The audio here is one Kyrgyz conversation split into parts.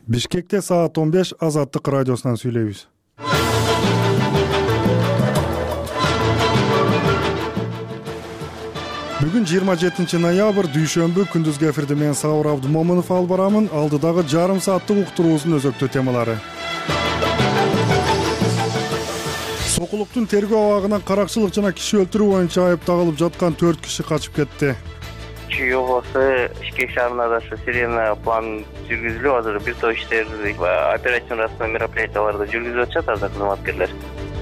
Бишкекте саат 15 Азаттык радиосунан сүйлөйбүз. Бүгүн 27 ноябрь дүйшөмбү күндүзгү эфирде мен Сабыр Абдумомунов алып барамын. Алдыдагы жарым сааттык уктуруубуздун өзөктүү темалары. Сокулуктун тергөө абагынан каракчылык жана киши өлтүрүү боюнча айып тагылып жаткан 4 киши качып кетти. Чүй областы Бишкек шаарында да сирена план жүргүзүлүп азыр бир топ иштер операцион расмий мероприятияларды жүргүзүп атышат азыр кызматкерлер.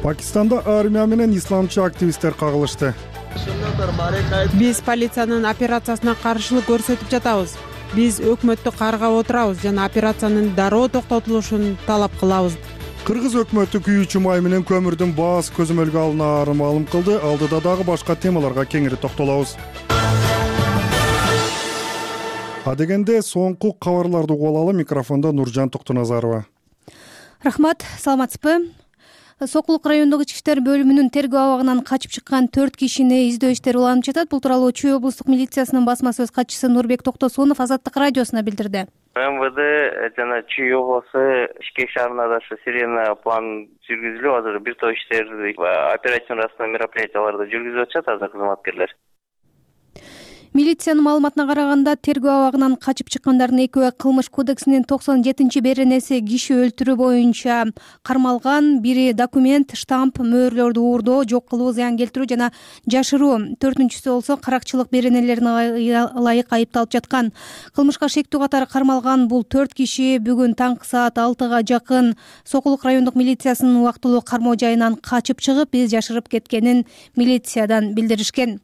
Пакистанда армия менен исламчы активисттер кагылышты. Биз полициянын операциясына каршылык көрсөтүп жатабыз. Биз өкмөттү каргап отурабыз жана операциянын дароо токтотулушун талап кылабыз. Кыргыз өкмөтү күйүүчү май менен көмүрдүн баасы көзөмөлгө алынаарын маалым кылды. Алдыда дагы башка темаларга кеңири токтолобуз. Адегенде соңку кабарларды угуп алалы. Микрофондо Нуржан Токтоназарова. Рахмат, саламатсызбы? Сокулук райондук ички иштер бөлүмүнүн тергөө абагынан качып чыккан 4 кишини издөө иштери уланып жатат. Бул тууралуу Чүй облустук милициясынын басма сөз катчысы Нурбек Токтосунов Азаттык радиосуна билдирди. МВД жана Чүй областы Бишкек шаарында да сирена план жүргүзүлүп азыр бир топ иштер операцион расмий мероприятияларды жүргүзүп атышат азыр кызматкерлер. Милициянын маалыматына караганда тергөө абагынан качып чыккандардын экөө кылмыш кодексинин 97-беренеси киши өлтүрүү боюнча кармалган. Бири документ, штамп, мөөрлөрдү уурдоо, жок кылуу, зыян келтирүү жана жашыруу. 4-сү болсо каракчылык беренелерине ылайык айыпталып жаткан. Кылмышка шектүү катары кармалган бул 4 киши бүгүн таңкы саат 6-га жакын Сокулук райондук милициясынын убактылуу кармоо жайынан качып чыгып, биз жашырып кеткенин милициядан билдиришкен.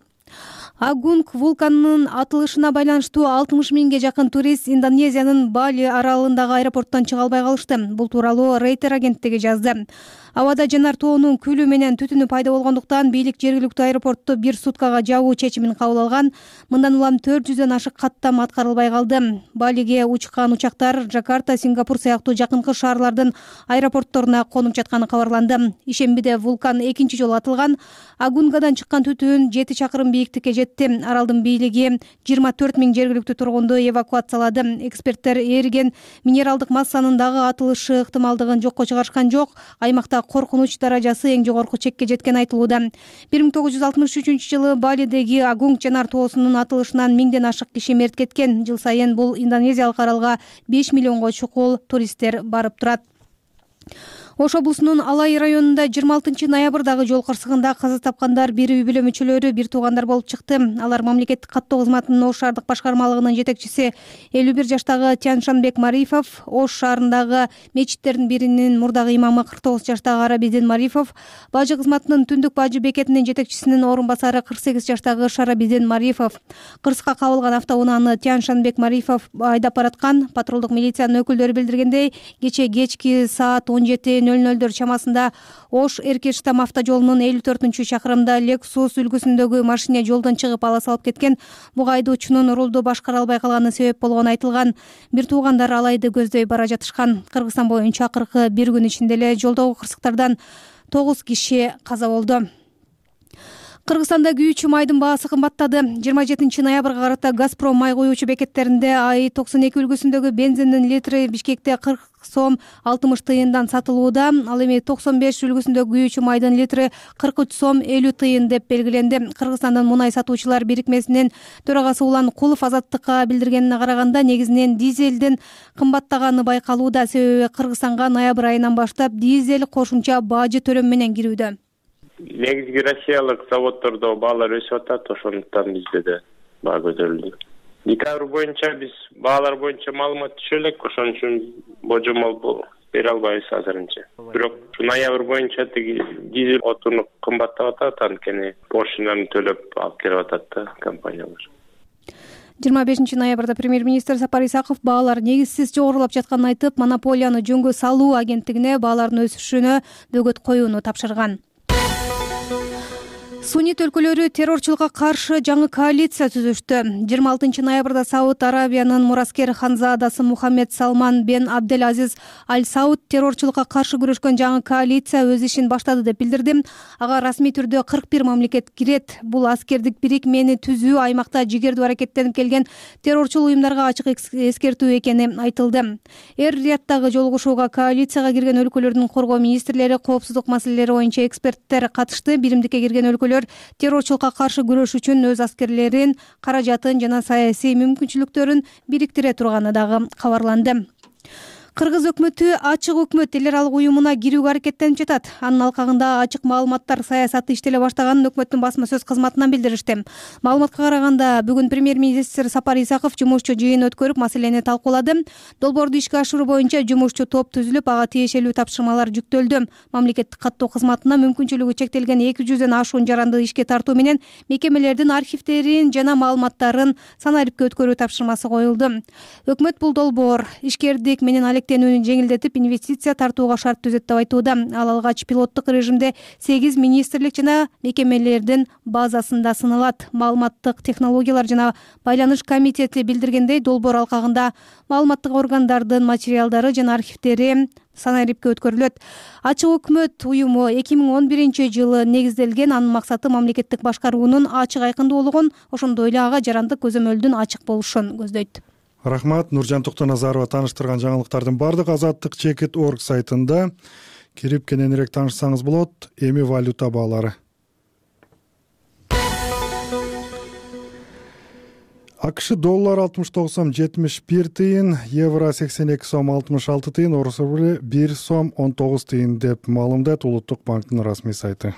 Агунг вулканынын атылышына байланыштуу 60 миңге жакын турист Индонезиянын Бали аралындагы аэропорттон чыга албай калышты. Бул тууралуу Рейтер агенттиги жазды. Абада жанар тоонун күлү менен түтүнү пайда болгондуктан бийлик жергиликтүү аэропортту 1 суткага жабуу чечимин кабыл алган. Мындан улам 400дөн ашык каттам аткарылбай калды. Балиге учкан учактар Жакарта, Сингапур сыяктуу жакынкы шаарлардын аэропортторуна конуп жатканы кабарланды. Ишембиде вулкан экинчи жолу атылган. Агунгадан чыккан түтүн 7 чакырым бийиктикке жетти. Аралдын бийлиги 24 миң жергиликтүү тургунду эвакуациялады. Эксперттер эриген минералдык массанын дагы атылышы ыктымалдыгын жокко чыгарышкан жок. Аймакта коркунуч даражасы эң жогорку чекке жеткени айтылууда. 1963-жылы Балидеги Агунг жанар тоосунун атылышынан 1000ден ашык киши мерт кеткен. Жыл сайын бул Индонезиялык аралга 5 миллионго чукул туристтер барып турат. Ош облусунун Алай районунда 26 ноябрдагы жол кырсыгында каза тапкандар бир үй бүлө мүчөлөрү бир туугандар болуп чыкты. Алар мамлекеттик каттоо кызматынын Ош шаардык башкармалыгынын жетекчиси 51 жаштагы Тяншанбек Марифов, Ош шаарындагы мечиттердин биринин мурдагы имамы 49 жаштагы Арабидин Марифов, бажы кызматынын түндүк бажы бекетинин жетекчисинин орун басары 48 жаштагы Шарабидин Марифов. Кырсыкка кабылган автоунааны Тяншанбек Марифов айдап бараткан. Патрулдук милициянын өкүлдөрү билдиргендей, кечки саат 17:00 чамасында Ош Эркештам автожолунун 54-чакырымында Lexus үлгүсүндөгү машина жолдон чыгып ала салып кеткен. Буга айдоочунун рулду башкара албай калганы себеп болгону айтылган. Бир туугандар Алайды көздөй бара жатышкан. Кыргызстан боюнча акыркы бир күн ичинде эле жолдогу кырсыктардан 9 киши каза болду. Кыргызстанда күйүүчү майдын баасы кымбаттады. 27 ноябрга карата Газпром май куюучу бекеттеринде АИ-92 үлгүсүндөгү бензиндин литри Бишкекте 40 сом 60 тыйындан сатылууда. Ал эми 95 үлгүсүндөгү күйүүчү майдын литри 43 сом 50 тыйын деп белгиленди. Кыргызстандын мунай сатуучулар бирикмесинин төрагасы Улан Кулов Азаттыкка билдиргенине караганда, негизинен дизелдин кымбаттаганы байкалууда. Себеби Кыргызстанга ноябрь айынан баштап дизель кошумча бажы төлөм менен кирүүдө. Негизги россиялык заводдордо баалар өсүп атат, ошондуктан бизде да баа көтөрүлдү. Декабрь боюнча биз баалар боюнча маалымат түшө элек, ошон үчүн божомол бере албайбыз азырынча. Бирок ноябрь боюнча тиги дизель отуну кымбаттап атат, анткени пошлинаны төлөп алып келип атат да компаниялар. 25 ноябрда премьер-министр Сапар Исаков баалар негизсиз жогорулап жатканын айтып, монополияны жөнгө салуу агенттигине баалардын өсүшүнө бөгөт коюуну тапшырган. Суннит өлкөлөрү террорчулукка каршы жаңы коалиция түзүштү. 26 ноябрда Сауд Арабиянын мураскер ханзадасы Мухаммед Салман бен Абдель Азиз Аль Сауд террорчулукка каршы күрөшкөн жаңы коалиция өз ишин баштады деп билдирди. Ага расмий түрдө 41 мамлекет кирет. Бул аскердик бирикмени түзүү аймакта жигердүү аракеттенип келген террорчул уюмдарга ачык эскертүү экени айтылды. Эр-Рияddагы жолугушууга коалицияга кирген өлкөлөрдүн коргоо министрлери, коопсуздук маселелери боюнча эксперттер катышты. Биримдикке кирген өлкөлөр террорчулукка каршы күрөш үчүн өз аскерлерин, каражатын жана саясий мүмкүнчүлүктөрүн бириктире турганы дагы кабарланды. Кыргыз өкмөтү ачык өкмөт эл аралык уюмуна кирүүгө аракеттенип жатат. Анын алкагында ачык маалыматтар саясаты иштеле баштаганын өкмөттүн басма сөз кызматынан билдиришти. Маалыматка караганда, бүгүн премьер-министр Сапар Исаков жумушчу жыйын өткөрүп, маселени талкуулады. Долбоорду ишке ашыруу боюнча жумушчу топ түзүлүп, ага тиешелүү тапшырмалар жүктөлдү. Мамлекеттик каттоо кызматына мүмкүнчүлүгү чектелген 200дөн ашуун жаранды ишке тартуу менен мекемелердин архивдерин жана маалыматтарын санариптке өткөрүү тапшырмасы коюлду. Өкмөт бул долбоор ишкердик менен алектенүүнү жеңилдетип, инвестиция тартууга шарт түзөт деп айтууда. Ал алгач пилоттук режимде 8 министрлик жана мекемелердин базасында сыналат. Маалыматтык технологиялар жана байланыш комитети билдиргендей, долбоор алкагында маалыматтык органдардын материалдары жана архивдери санариптке өткөрүлөт. Ачык өкмөт уюму 2011 жылы негизделген. Анын максаты мамлекеттик башкаруунун ачык айкындуулугун, ошондой эле ага жарандык көзөмөлдүн ачык болушун көздөйт. Рахмат. Нуржан Токтоназарова таныштырган жаңылыктардын бардык Азаттык.org сайтында кирип кененирээк таанышсаңыз болот. Эми валюта баалары. АКШ доллар 69 сом 71 тыйын, евро 82 сом 66 тыйын, орус рубли 1 сом 19 тыйын деп маалымдайт Улуттук банктын расмий сайты.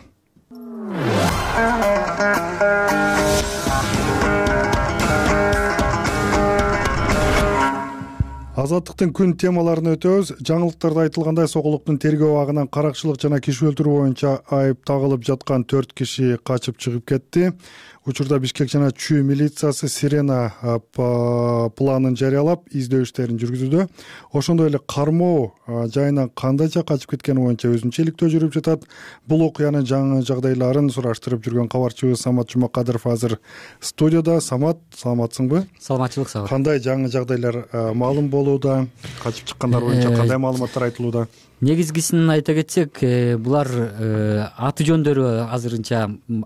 Азаттыктын күн темаларына өтөбүз. Жаңылыктарда айтылгандай, Сокулуктун тергөө абагынан каракчылык жана киши өлтүрүү боюнча айып тагылып жаткан 4 киши качып чыгып кетти. Учурда Бишкек жана Чүй милициясы Сирена планын жарыялап, издөө иштерин жүргүзүүдө. Ошондой эле кармоо жайынан кандайча качып кеткени боюнча өзүнчө иликтөө жүрүп жатат. Бул окуянын жаңы жагдайларын сураштырып жүргөн кабарчыбыз Самат Жумакадыров азыр студияда. Самат, саламатсыңбы? Саламатчылык, сабыр. Кандай жаңы жагдайлар маалым болууда? Качып чыккандар боюнча кандай маалыматтар айтылууда? Негизгисин айта кетсек, булар аты жөндөрү азырынча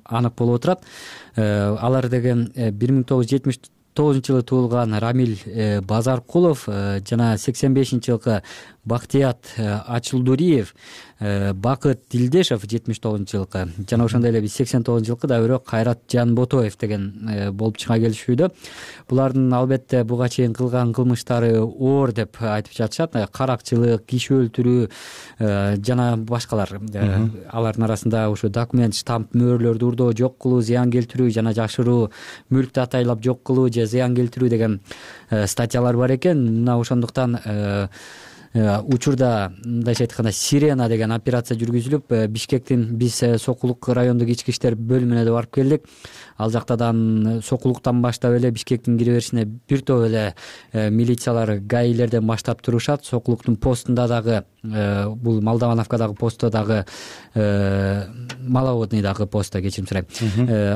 анык болуп отурат. Алар деген 1979 жылы туулган Рамил Базаркулов жана 85 жылкы Бактият Ачылдуриев, Бакыт Дилдешев 79 жылкы жана ошондой эле 89 жылкы да бирок Кайрат Жанботоев деген болуп чыга келишүүдө. Булардын албетте буга чейин кылган кылмыштары оор деп айтып жатышат. Каракчылык, киши өлтүрүү жана башкалар. Алардын арасында ошо документ, штамп, мөөрлөрдү урдоо, жок кылуу, зыян келтирүү жана жашыруу, мүлктү атайлап жок кылуу же зыян келтирүү деген статьялар бар экен. Мына ошондуктан учурда мындайча айтканда Сирена деген операция жүргүзүлүп, Бишкектин биз Сокулук райондук ички иштер бөлүмүнө да барып келдик. Ал жактадан Сокулуктан баштап эле Бишкектин кире беришине бир топ эле милициялар, гаилерден баштап турушат. Сокулуктун постунда дагы, бул Молдавановкадагы постто дагы, Маловодныйдагы постто, кечирим сурайм.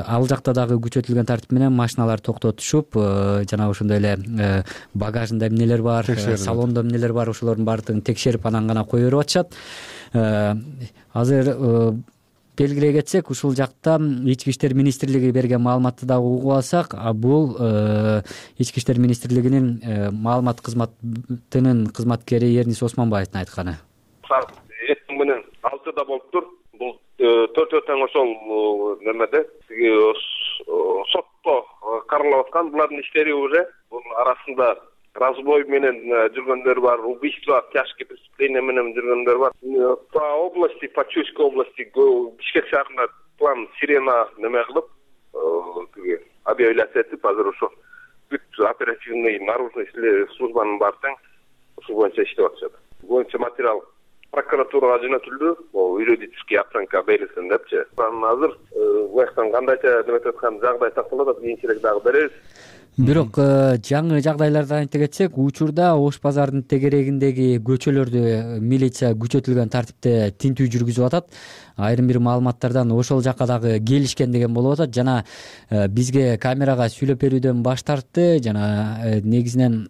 Ал жакта дагы күчөтүлгөн тартип менен машиналар токтотушуп, жана ошондой эле багажында эмнелер бар, салондо эмнелер бар, ошолордун баардыгын текшерип анан гана кое берип атышат. Азыр белгилей кетсек, ушул жакта Ички иштер министрлиги берген маалыматты дагы угуп алсак, бул Ички иштер министрлигинин маалымат кызматынын кызматкери Эрнис Осмонбаевдин айтканы. Эртең менен 6-да болуптур. Бул 4 тең ошол немеде сотто каралып аткан. Булардын иштери уже бул арасында разбой менен жүргөндөр бар, убийство, тяжкие преступления менен жүргөндөр бар. По области, по Чуйской области, Бишкек шаарында план Сирена неме кылып, объявляция этип, азыр ошо бүт оперативный наружный службанын баары тең ушул боюнча иштеп атышат. Боюнча материал прокуратурага жөнөтүлдү, юридический оценка берилсин депчи. Азыр бу жактан кандайча деп аткан жагдай такталып атат, кийинчерээк дагы беребиз. Бирок жаңы жагдайлардан айта кетсек, учурда Ош базардын тегерегиндеги көчөлөрдү милиция күчөтүлгөн тартипте тинтүү жүргүзүп атат. Айрым бир маалыматтардан ошол жака дагы келишкен деген болуп атат жана бизге камерага сүйлөп берүүдөн баш тартты. Жана негизинен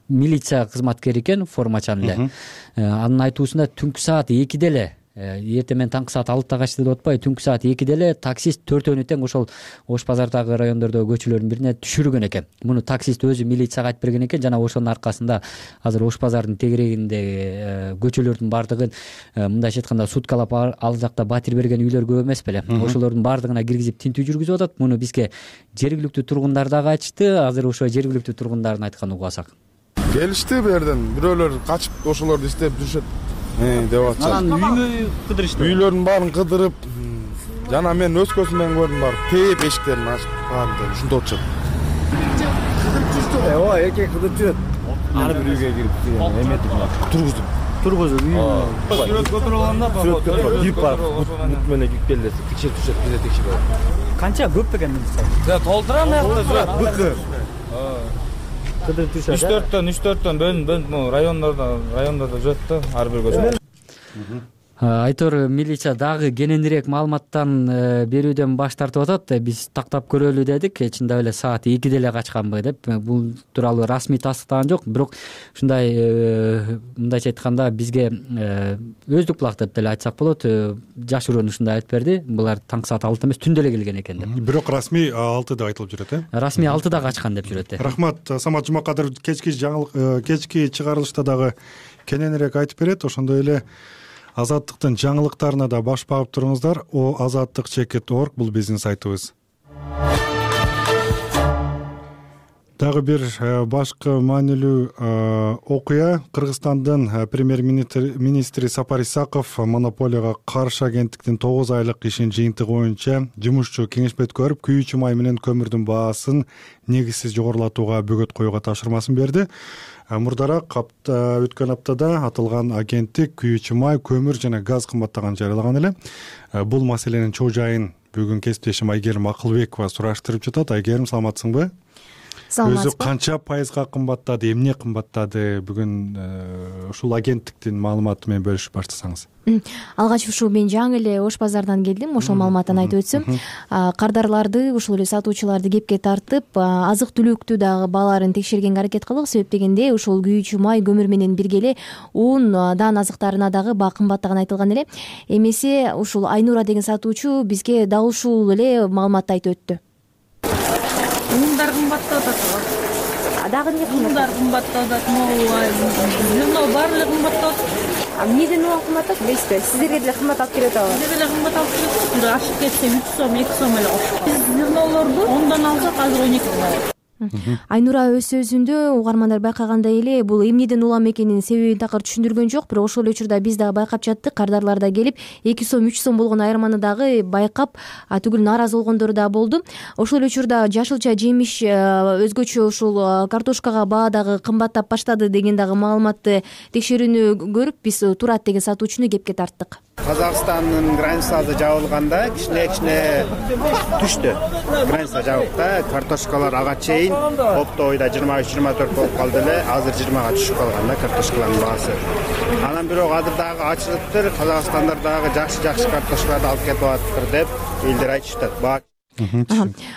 милиция кызматкери экен, формачан эле. Анын айтуусунда түнкү саат 2-де эле, эртең менен таңкы саат 6-да качты деп атпайбы, түнкү саат 2-де эле таксист 4-өөнү тең ошол Ош базардагы райондордогу көчөлөрдүн бирине түшүргөн экен. Муну таксист өзү милицияга айтып берген экен жана ошонун аркасында азыр Ош базардын тегерегиндеги көчөлөрдүн баардыгын мындайча айтканда суткалап ал жакта батир берген үйлөр көп эмес беле. Ошолордун баардыгына киргизип тинтүү жүргүзүп атат. Муну бизге жергиликтүү тургундар дагы айтышты. Азыр ошо жергиликтүү тургундардын айтканын угасак. Келишти бу жерден. Бирөөлөр качып ошолорду издеп жүрүшөт деп атышат. Анан үймө кыдырышты. Үйлөрдүн баарын кыдырып, жана мен өз көзүм менен көрдүм, бар тээп эшиктерин ачып баарын ушунда отурушат. Кыдырып жүрүштү. Ооба, эркек кыдырып жүрөт. Ар бир үйгө кирип эметип тургузуп сүрөт көтөрүлгөндө кирип барып мут менен кирип келди, текшерип турушат, бизе текшерип. Канча көп экен милиция? Толтура аякта турат, быкы. Кыдырып турушат. 3-4төн бөлүнүп райондордо жүрөт да, ар бир көчө. Айтор милиция дагы кененирээк маалыматтан берүүдөн баш тартып атат. Биз тактап көрөлү дедик, чындап эле саат 2-де эле качканбы деп. Бул тууралуу расмий тастыктаган жок, бирок ушундай мындайча айтканда бизге өздүк булак деп деле айтсак болот. Жашыруун ушундай айтып берди. Булар таңкы саат 6 эмес, түндө эле келген экен деп. Бирок расмий 6 деп айтылып жүрөт, Расмий 6-да качкан деп жүрөт. Рахмат. Самат Жумакадыров кечки чыгарылышта дагы кененирээк айтып берет. Ошондой эле Азаттыктын жаңылыктарына да баш багып туруңуздар. Азаттык.org бул биздин сайтыбыз. Дагы бир башкы маанилүү окуя. Кыргызстандын премьер-министри Сапар Исаков монополияга каршы агенттиктин 9 айлык ишин жыйынтыгы боюнча жумушчу кеңешме өткөрүп, күйүүчү май менен көмүрдүн баасын негизсиз жогорулатууга бөгөт коюуга тапшырмасын берди. Мурдараак өткөн аптада аталган агенттик күйүүчү май, көмүр жана газ кымбаттаганын жарыялаган эле. Бул маселенин чоо жайын бүгүн кесиптешим Айгерим Акылбекова сураштырып жатат. Айгерим, саламатсыңбы? Өзү канча пайызга кымбаттады, эмне кымбаттады? Бүгүн ушул агенттиктин маалыматы менен бөлүшүп баштасаңыз. Алгач ушул мен жаңы эле Ош базардан келдим. Ошол маалыматтан айтып өтсөм, кардарларды, ушул эле сатуучуларды кепке тартып, азык-түлүктү дагы бааларын текшергенге аракет кылдык. Себеп дегенде ушул күйүүчү май, көмүр менен бирге эле ун азыктарына дагы баа кымбаттаганы айтылган эле. Эмесе ушул Айнура деген сатуучу бизге дал ушул эле маалыматты айтып өттү. Ундар кымбаттап атат. Дагы эмне ундар кымбаттап атат? Зерно баары кымбаттап атат. Эмнеден улам кымбаттап? Билесизби? Сиздерге деле кымбат алып келет атабы? Бизге деле кымбат алып келет. Бир ашып кетсе 3 сом, 2 сом эле кошкон. Биз зернолорду 10дан алсак азыр 12 сом алат. Айнура өз сөзүндө угармандар байкагандай эле бул эмнеден улам экенин себебин такыр түшүндүргөн жок, бирок ошол эле учурда биз дагы байкап жаттык. Кардарлар да келип 2 сом, 3 сом болгон айырманы дагы байкап, түгүл нааразы болгондор да болду. Ошол эле учурда жашылча жемиш, өзгөчө ушул картошкага баа дагы кымбаттап баштады деген дагы маалыматты текшерүүнү көрүп, биз Турат деген сатуучуну кепке тарттык. Казакстандын границасы жабылганда кичине түштү. Граница жабык да, картошкалар ага чейин оптовойда 23-24 болуп калды эле, азыр 20-га түшүп калган да картошкалардын баасы. Анан бирок азыр дагы ачылыптыр, Казакстандар дагы жакшы картошкаларды алып кетип атыптыр деп элдер айтышат.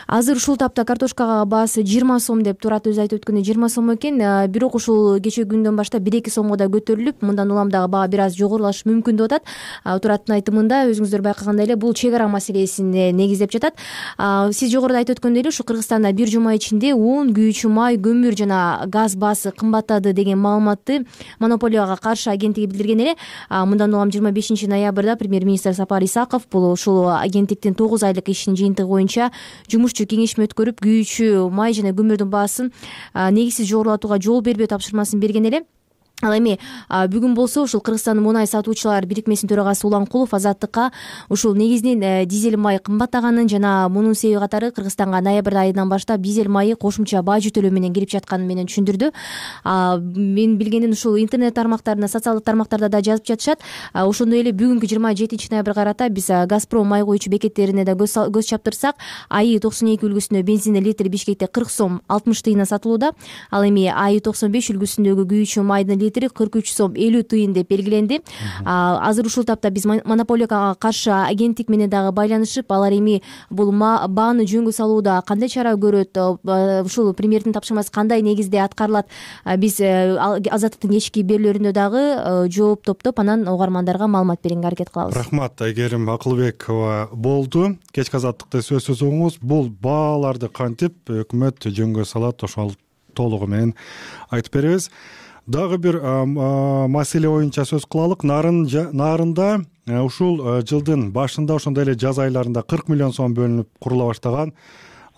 Азыр ушул тапта картошкага баасы 20 сом деп Турат өзү айтып өткөндөй 20 сом экен. Бирок ушул кечээ күндөн баштап 1-2 сомго да көтөрүлүп, мындан улам дагы баа бир аз жогорулашы мүмкүн деп атат. Тураттын айтымында өзүңүздөр байкагандай эле бул чек ара маселесине негиздеп жатат. Сиз жогоруда айтып өткөндөй эле ушу Кыргызстанда бир жума ичинде ун, күйүүчү май, көмүр жана газ баасы кымбаттады деген маалыматты монополияга каршы агенттиги билдирген эле. Мындан улам 25 ноябрда премьер-министр Сапар Исаков бул ушул агенттиктин 9 айлык ишинин жыйынтыгы боюнча жумушчу кеңешме өткөрүп, күйүүчү май жана көмүрдүн баасын негизсиз жогорулатууга жол бербөө тапшырмасын берген эле. Ал эми бүгүн болсо ушул Кыргызстан мунай сатуучулар бирикмесинин төрагасы Уланкулов Азаттыкка ушул негизинен дизель май кымбаттаганын жана мунун себеби катары Кыргызстанга ноябрь айынан баштап дизель майы кошумча бажы төлөө менен кирип жатканын менен түшүндүрдү. Мен билгенден ушул интернет тармактарында, социалдык тармактарда да жазып жатышат. Ошондой эле бүгүнкү 27 ноябрга карата биз Газпром май куючу бекеттерине да көз чаптырсак, АИ 92 үлгүсүндө бензиндин литри Бишкекте 40 сом 60 тыйындан сатылууда. Ал эми АИ 95 үлгүсүндөгү күйүүчү майдын 43 сом 50 тыйын деп белгиленди. Азыр ушул тапта биз монополияга каршы агенттик менен дагы байланышып, алар эми бул бааны жөнгө салууда кандай чара көрөт, ушул премьердин тапшырмасы кандай негизде аткарылат, биз Азаттыктын кечки берүүлөрүндө дагы жооп топтоп анан угармандарга маалымат берүүгө аракет кылабыз. Рахмат Айгерим Акылбекова болду. Кечки Азаттыкты сөзсүз угуңуз. Бул бааларды кантип өкмөт жөнгө салат, ошол толугу менен айтып беребиз. Дагы бир маселе боюнча сөз кылалык. Нарында ушул жылдын башында ошондой эле жаз айларында 40 миллион сом бөлүнүп курула баштаган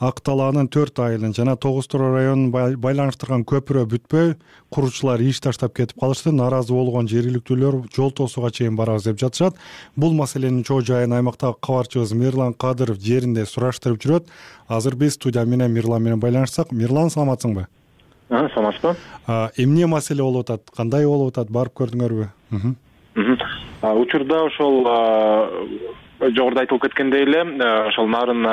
Ак Талаанын 4 айылын жана Тогуз Тоо районун байланыштырган көпүрө бүтпөй, куручулар иш таштап кетип калышты. Нааразы болгон жергиликтүүлөр жол тосууга чейин барабыз деп жатышат. Бул маселенин чоо жайын аймактагы кабарчыбыз Мирлан Кадыров жеринде сураштырып жүрөт. Азыр биз студия менен Мирлан менен байланышсак. Мирлан, саламатсыңбы? Саламатсызбы? Эмне маселе болуп атат? Кандай болуп атат? Барып көрдүңөрбү? Учурда ошол жогоруда айтылып кеткендей эле, ошол Нарын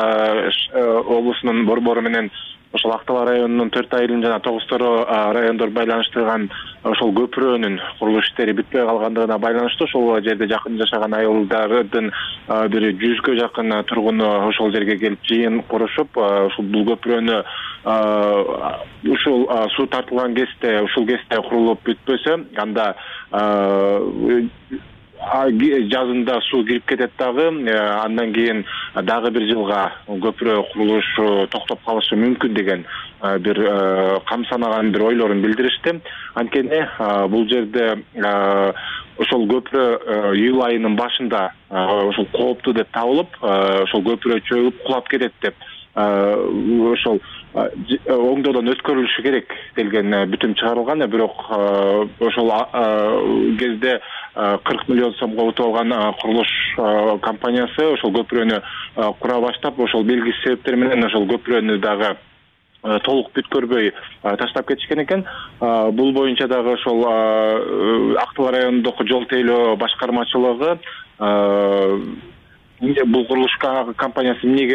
облусунун борбору менен ошол Ак Талаа районунун 4 айылын жана Тогуз Тоо райондор байланыштырган ошол көпүрөнүн курулуш иштери бүтпөй калгандыгына байланыштуу ошол жерде жакын жашаган айылдардын бир 100гө жакын тургуну ошол жерге келип жыйын курушуп, ушул бул көпүрөнү ушул суу тартылган кезде, ушул кезде курулуп бүтпөсө, анда жазында суу кирип кетет дагы, андан кийин дагы бир жылга көпүрө курулушу токтоп калышы мүмкүн деген бир камсанаган бир ойлорун билдиришти. Анткени бул жерде ошол көпүрө июль айынын башында ошол кооптуу деп табылып, ошол көпүрө чөгүп кулап кетет деп ошол оңдоодон өткөрүлүшү керек делген бүтүм чыгарылган. Бирок ошол кезде 40 миллион сомго утуп алган курулуш компаниясы ошол көпүрөнү кура баштап, ошол белгисиз себептер менен ошол көпүрөнү дагы толук бүткөрбөй таштап кетишкен экен. Бул боюнча дагы ошол Ак Талаа районундагы жол тейлөө башкармачылыгы бул курулуш компаниясы эмнеге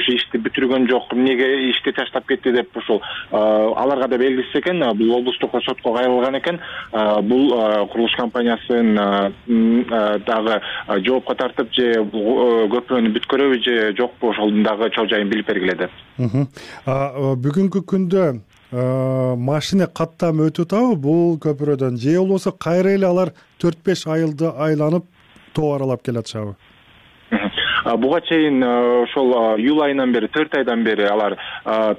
ишти бүтүргөн жок, эмнеге ишти таштап кетти деп ошол аларга да белгисиз экен. Бул облустук сотко кайрылган экен. Бул курулуш компаниясын дагы жоопко тартып, же көпүрөнү бүткөрөбү же жокпу, ошол дагы чоо жайын билип бергиле деп. Бүгүнкү күндө машина каттам өтүп атабы бул көпүрөдөн, же болбосо кайра эле алар 4-5 айылды айланып тоо аралап келатышабы? Буга чейин ошол июль айынан бери, 4 айдан бери алар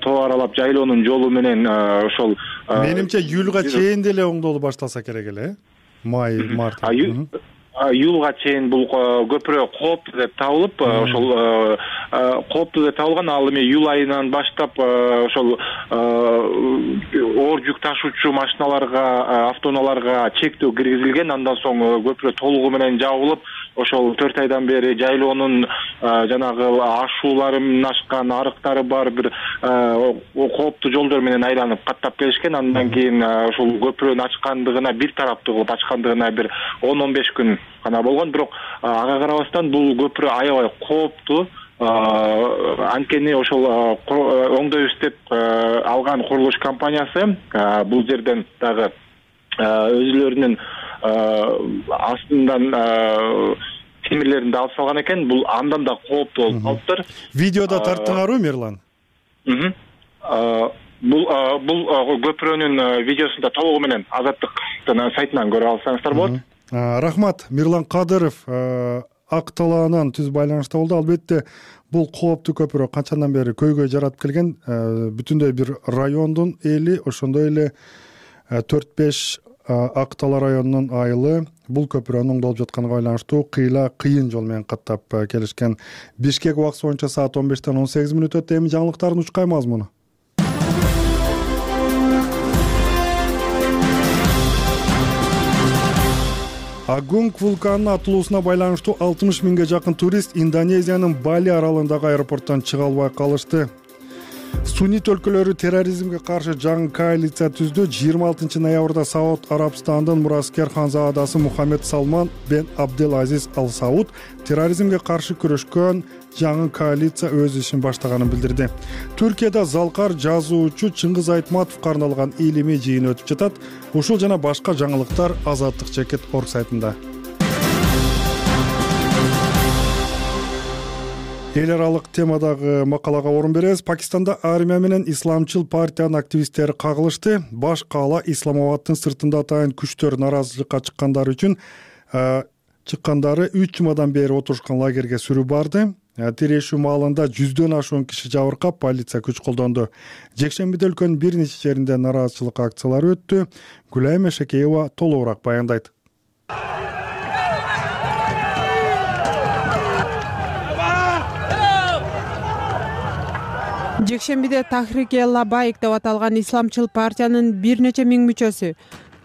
тоо аралап жайлоонун жолу менен ошол менимче июльга чейин деле оңдолуу башталса керек эле. Май, март. Июлга чейин бул көпүрө кооптуу деп табылып, ошол кооптуу деп табылган. Ал эми июль айынан баштап ошол оор жүк ташуучу машиналарга, автоунааларга чектөө киргизилген. Андан соң көпүрө толугу менен жабылып, ошол 4 айдан бери жайлоонун жанагы ашууларын ашкан, арыктары бар бир кооптуу жолдор менен айланып каттап келишкен. Андан кийин ошол көпүрөнү ачкандыгына, бир тараптуу кылып ачкандыгына бир 10-15 күн гана болгон. Бирок ага карабастан бул көпүрө аябай кооптуу. Анткени ошол оңдойбуз деп алган курулуш компаниясы бул жерден дагы өзүлөрүнүн астынан темирлерин да алып салган экен. Бул андан да кооптуу болуп калыптыр. Видеодо тарттыңарбы, Мирлан? Бул көпүрөнүн видеосун да толугу менен Азаттыктын сайтынан көрө алсаңыздар болот. Рахмат. Мирлан Кадыров Ак Талаанын түз байланышта болду. Албетте бул кооптуу көпүрө канчандан бери көйгөй жаратып келген. Бүтүндөй бир райондун эли, ошондой эле 4-5 Ак Талаа районунун айылы бул көпүрөнүн оңдолуп жатканына байланыштуу кыйын жол менен каттап келишкен. Бишкек убактысы боюнча саат 15-тен 18 мүнөт өтүп, эми жаңылыктардын учкай мазмуну. Агунг вулканынын атылуусуна байланыштуу 60 миңге жакын турист Индонезиянын Бали аралындагы аэропорттон чыга албай калышты. Суннит өлкөлөрү терроризмге каршы жаңы коалиция түздү. 26 ноябрда Сауд Арабстандын мураскер ханзадасы Мухаммед Салман бен Абдел Азиз Ал Сауд терроризмге каршы күрөшкөн жаңы коалиция өз ишин баштаганын билдирди. Түркияда залкар жазуучу Чыңгыз Айтматовго арналган илимий жыйын өтүп жатат. Ушул жана башка жаңылыктар Азаттык Чекит орг сайтында. Эл аралык темадагы макалага орун беребиз. Пакистанда армия менен исламчыл партиянын активисттери кагылышты. Баш каала Исламабаддын сыртында атайын күчтөр нааразычылыкка чыккандары 3 жумадан бери отурушкан лагерге сүрүү барды. Тирешүү маалында 100дөн ашуун киши жабыркап, полиция күч колдонду. Жекшембиде өлкөнүн бир нече жеринде нааразычылык акциялары өттү. Гүлайым Эшекеева толугураак баяндайт. Жекшембиде Тахрик-эл-Лабайк деп аталган исламчыл партиянын бир нече миң мүчөсү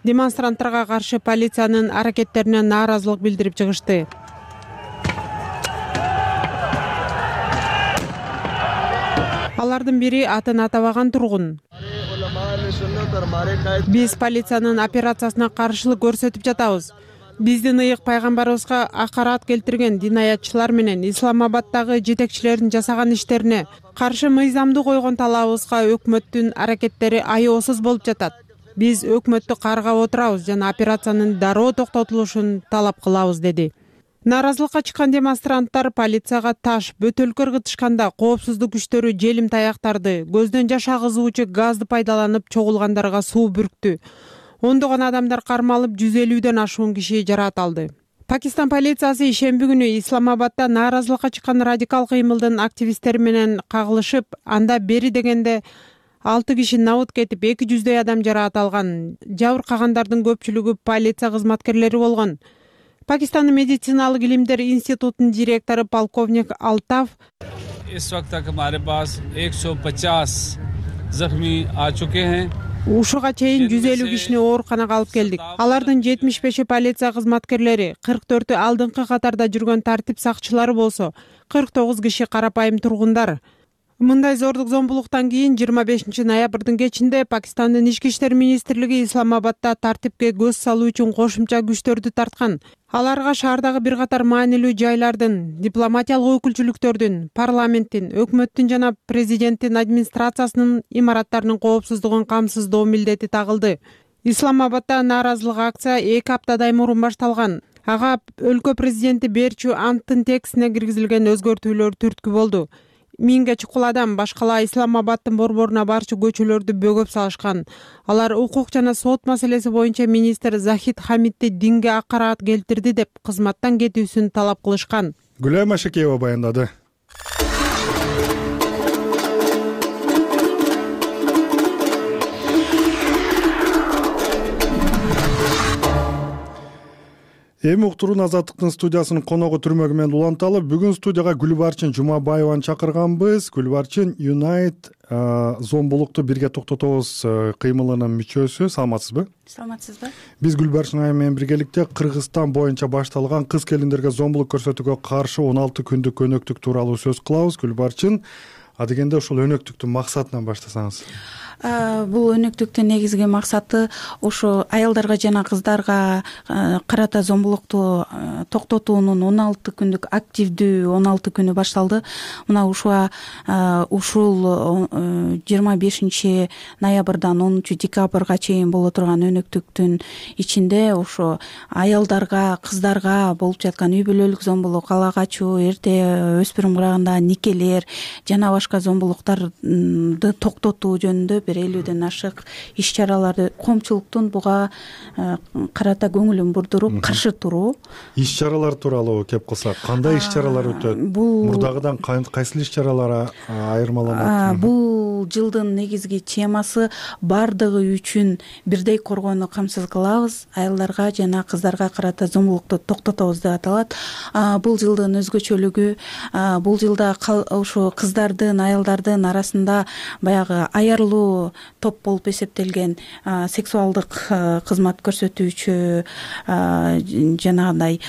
демонстранттарга каршы полициянын аракеттерине нааразылык билдирип чыгышты. Алардын бири атын атабаган тургун. Биз полициянын операциясына каршылык көрсөтүп жатабыз. Биздин ыйык пайгамбарыбызга акарат келтирген динаятчылар менен Исламабаддагы жетекчилердин жасаган иштерине каршы мыйзамды койгон талабыбызга өкмөттүн аракеттери аеосуз болуп жатат. Биз өкмөттү каргап отурабыз жана операциянын дароо токтотулушун талап кылабыз, деди. Нааразылыкка чыккан демонстранттар полицияга таш, бөтөлкө ыргытышканда коопсуздук күчтөрү желим таяктарды, көздөн жаш агызуучу газды пайдаланып чогулгандарга суу бүрктү. Ондогон адамдар кармалып, 150дөн ашуун киши жараат алды. Пакистан полициясы ишемби күнү Исламабадда нааразылыкка чыккан радикал кыймылдын активисттери менен кагылышып, анда бери дегенде 6 киши набыт кетип, 200дөй адам жараат алган. Жабыркагандардын көпчүлүгү полиция кызматкерлери болгон. Пакистандын медициналык илимдер институтунун директору полковник Алтаф ушуга чейин 150 кишини ооруканага алып келдик. Алардын 75 полиция кызматкерлери, 44 алдыңкы катарда жүргөн тартип сакчылары болсо, 49 киши карапайым тургундар. Мындай зордук зомбулуктан кийин 25 ноябрдын кечинде Пакистандын ички иштер министрлиги Исламабадда тартипке көз салуу үчүн кошумча күчтөрдү тарткан. Аларга шаардагы бир катар маанилүү жайлардын, дипломатиялык өкүлчүлүктөрдүн, парламенттин, өкмөттүн жана президенттин администрациясынын имараттарынын коопсуздугун камсыздоо милдети тагылды. Исламабадда нааразылык акция 2 аптадай мурун башталган. Ага өлкө президенти Берчу анттын текстине киргизилген өзгөртүүлөр түрткү болду. 1000ге чукул адам башкала Исламабаддын борборуна барчу көчөлөрдү бөгөп салышкан. Алар укук жана сот маселеси боюнча министр Захид Хамидди динге акарат келтирди деп кызматтан кетүүсүн талап кылышкан. Гүлайым Эшекеева баяндады. Эми уктуруун Азаттыктын студиясынын коногу түрмөгү менен уланталы. Бүгүн студияга Гүлбарчын Жумабаеваны чакырганбыз. Гүлбарчын Юнайт зомбулукту бирге токтотобуз кыймылынын мүчөсү. Саламатсызбы? Саламатсызбы? Биз Гүлбарчын айы менен биргеликте Кыргызстан боюнча башталган кыз келиндерге зомбулук көрсөтүүгө каршы 16 күндүк өнөктүк тууралуу сөз кылабыз. Гүлбарчын, адегенде ушул өнөктүктүн максатынан баштасаңыз. Бул өнөктүктүн негизги максаты ушу аялдарга жана кыздарга карата зомбулукту токтотуунун 16 күндүк активдүү 16 күнү башталды. Мына ушул 25 ноябрдан 10 декабрга чейин боло турган өнөктүктүн ичинде ушу аялдарга, кыздарга болуп жаткан үй бүлөлүк зомбулук, ала качуу, эрте өспүрүм курагындагы никелер жана башка зомбулуктарды токтотуу жөнүндө 50ден ашык иш-чараларды коомчулуктун буга карата көңүлүн бурдуруп каршы туруу. Иш-чаралар тууралуу кеп калсак, кандай иш-чаралар өтөт? Мурдагыдан кайсыл иш-чаралар айырмаланат? Бул бул жылдын негизги темасы баардыгы үчүн бирдей коргоону камсыз кылабыз, аялдарга жана кыздарга карата зомбулукту токтотобуз деп аталат. Бул жылдын өзгөчөлүгү бул жылда ушу кыздардын, аялдардын арасында баягы аярлуу топ болуп эсептелген сексуалдык кызмат көрсөтүүчү жанагындай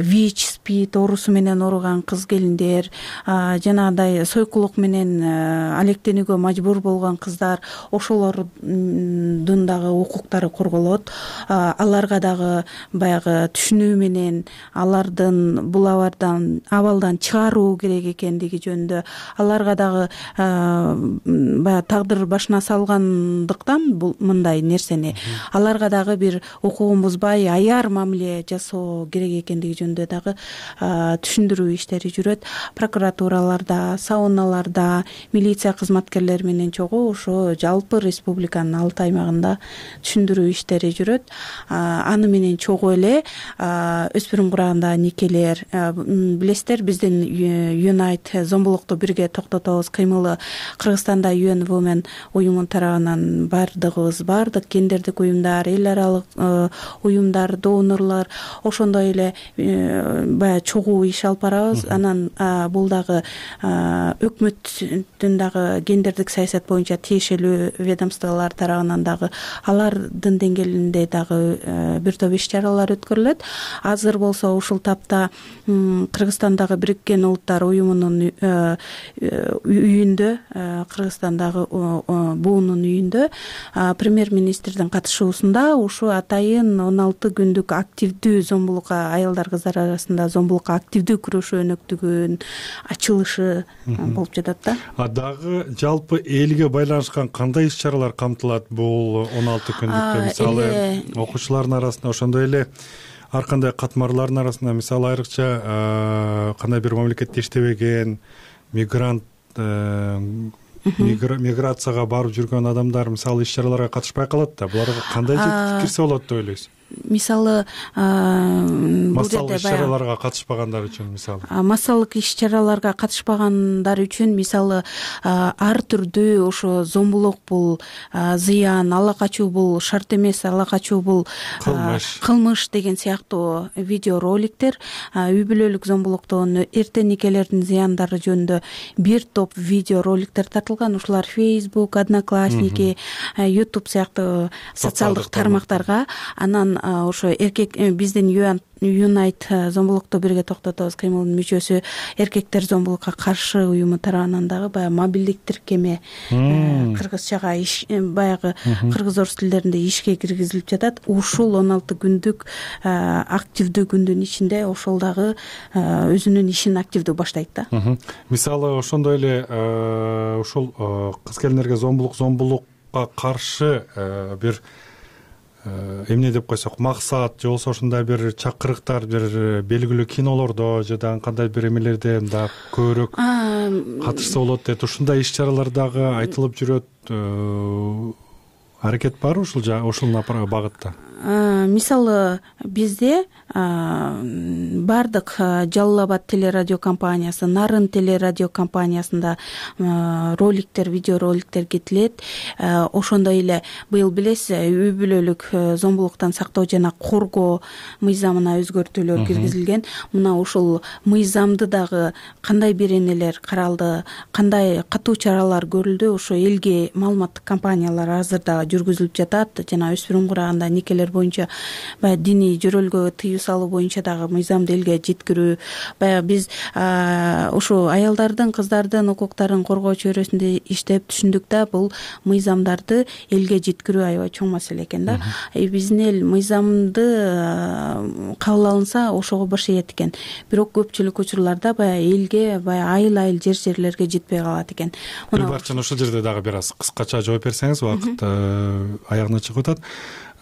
ВИЧ, СПИД оорусу менен ооруган кыз келиндер, жанагындай сойкулук менен алектенүүгө мажбур болгон кыздар, ошолордун дагы укуктары корголот. Аларга дагы баягы түшүнүү менен алардын бул абалдан чыгаруу керек экендиги жөнүндө, аларга дагы баягы тагдыр башына салгандыктан бул мындай нерсени аларга дагы бир укугун бузбай аяр мамиле жасоо керек экендиги жөнүндө дагы түшүндүрүү иштери жүрөт. Прокуратураларда, сауналарда, милиция кызматкерлери менен чогуу ошо жалпы республиканын 6 аймагында түшүндүрүү иштери жүрөт. Аны менен чогуу эле өспүрүм курагында никелер, билесиздер, биздин Unite зомбулукту бирге токтотобуз кыймылы Кыргызстанда UN Women уюму тарабынан бардык гендердик уюмдар, эл аралык уюмдар, донорлор ошондой эле баягы чогуу иш алып барабыз. Анан бул дагы өкмөттүн дагы гендердик саясат боюнча тиешелүү ведомстволор тарабынан дагы алардын деңгээлинде дагы бир топ иш чаралар өткөрүлөт. Азыр болсо ушул тапта Кыргызстандагы Бириккен Улуттар уюмунун үйүндө, Кыргызстандагы буунун үйүндө премьер-министрдин катышуусунда ушу атайын 16 күндүк активдүү зомбулукка, аялдар кыздар арасында зомбулукка активдүү күрөшүү өнөктүгүнүн ачылышы болуп жатат да. Дагы жалпы элге байланышкан кандай иш чаралар камтылат бул 16 күндүктө? Мисалы окуучулардын арасында, ошондой эле ар кандай катмарлардын арасында, мисалы айрыкча кандай бир мамлекетте иштебеген миграцияга барып жүргөн адамдар мисалы иш чараларга катышпай калат да. Буларга кандай жетишип кирсе болот деп ойлойсуз? Мисалы массалык иш чараларга катышпагандар үчүн, мисалы массалык иш чараларга катышпагандар үчүн мисалы ар түрдүү ошо зомбулук бул зыян, ала качуу бул шарт эмес, ала качуу бул кылмыш деген сыяктуу видеороликтер, үй бүлөлүк зомбулуктун, эрте никелердин зыяндары жөнүндө бир топ видеороликтер тартылган. Ушулар Facebook, Одноклассники, YouTube сыяктуу социалдык тармактарга. Анан ошо эркек биздин Unite зомбулукту бирге токтотобуз кыймылынын мүчөсү эркектер зомбулукка каршы уюму тарабынан дагы баягы мобилдик тиркеме кыргызчага баягы кыргыз орус тилдеринде ишке киргизилип жатат. Ушул 16 күндүк активдүү күндүн ичинде ошол дагы өзүнүн ишин активдүү баштайт да. Мисалы ошондой эле ушул кыз келиндерге зомбулукка каршы бир эмне деп койсок, максат же болбосо ушундай бир чакырыктар бир белгилүү кинолордо же дагы кандай бир эмелерде дагы көбүрөөк катышса болот дейт. Ушундай иш чаралар дагы айтылып жүрөт. Аракет бар ушул багытта? Мисалы бизде бардык Жалал Абад телерадио компаниясы, Нарын телерадио компаниясында роликтер, видеороликтер кетилет. Ошондой эле быйыл билесиз, үй бүлөлүк зомбулуктан сактоо жана коргоо мыйзамына өзгөртүүлөр киргизилген. Мына ушул мыйзамды дагы кандай беренелер каралды, кандай катуу чаралар көрүлдү, ошо элге маалыматтык кампаниялар азырда жүргүзүлүп жатат. Жана өспүрүм курагында никелер боюнча баягы диний жөрөлгө тыюу салуу боюнча дагы мыйзамды элге жеткирүү. Баягы биз ушу аялдардын, кыздардын укуктарын коргоо чөйрөсүндө иштеп түшүндүк да, бул мыйзамдарды элге жеткирүү аябай чоң маселе экен да. Биздин эл мыйзамды кабыл алынса ошого баш ийет экен. Бирок көпчүлүк учурларда баягы элге айыл жерлерге жетпей калат экен. Бир барчаны ушул жерде дагы бир аз кыскача жооп берсеңиз, убакыт аягына чыгып атат.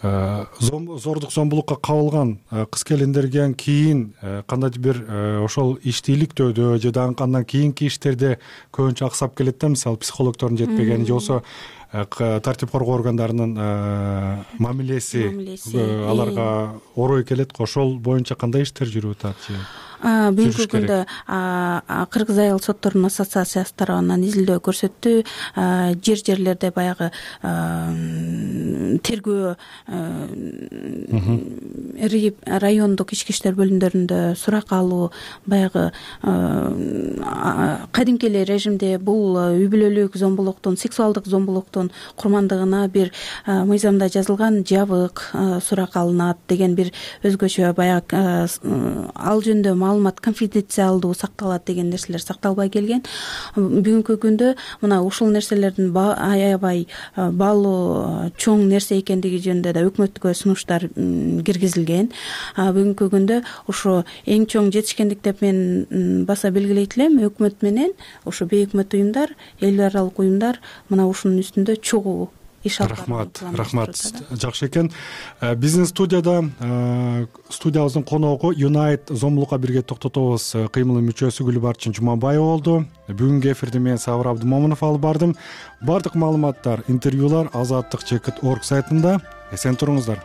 Зордук зомбулукка кабылган кыз келиндерден кийин кандайдыр бир ошол иштийликтөөдө же дагы андан кийинки иштерде көбүнчө аксап келет да, мисалы психологдордун жетпегени же болбосо тартип коргоо органдарынын мамилеси аларга орой келет го. Ошол боюнча кандай иштер жүрүп атат же? бүгүнкү күндө Кыргыз айыл сотторунун ассоциациясы тарабынан изилдөө көрсөттү. Жерлерде баягы тергөө райондук ички иштер бөлүмдөрүндө сурак алуу, баягы кадимки эле режимде бул үй бүлөлүк зомбулуктун, сексуалдык зомбулуктун курмандыгына бир мыйзамда жазылган жабык сурак алынат деген бир өзгөчө баягы ал жөнүндө маалымат конфиденциалдуу сакталат деген нерселер сакталбай келген. Бүгүнкү күндө мына ушул нерселердин аябай баалуу чоң нерсе экендиги жөнүндө да өкмөткө сунуштар киргизилген. Бүгүнкү күндө ушу эң чоң жетишкендик деп мен баса белгилейт элем. Өкмөт менен ушу бейөкмөт уюмдар, эл аралык уюмдар мына ушунун үстүндө чогуу иш алып барышат. Рахмат, жакшы экен. Биздин студиябыздын коногу Юнайт зомбулукка бирге токтотобуз кыймылынын мүчөсү Гүлбарчын Жумабаева болду. Бүгүнкү эфирди мен Сабыр Абдымомунов алып бардым. Бардык маалыматтар, интервьюлар Азаттык.org сайтында. Эсен туруңуздар.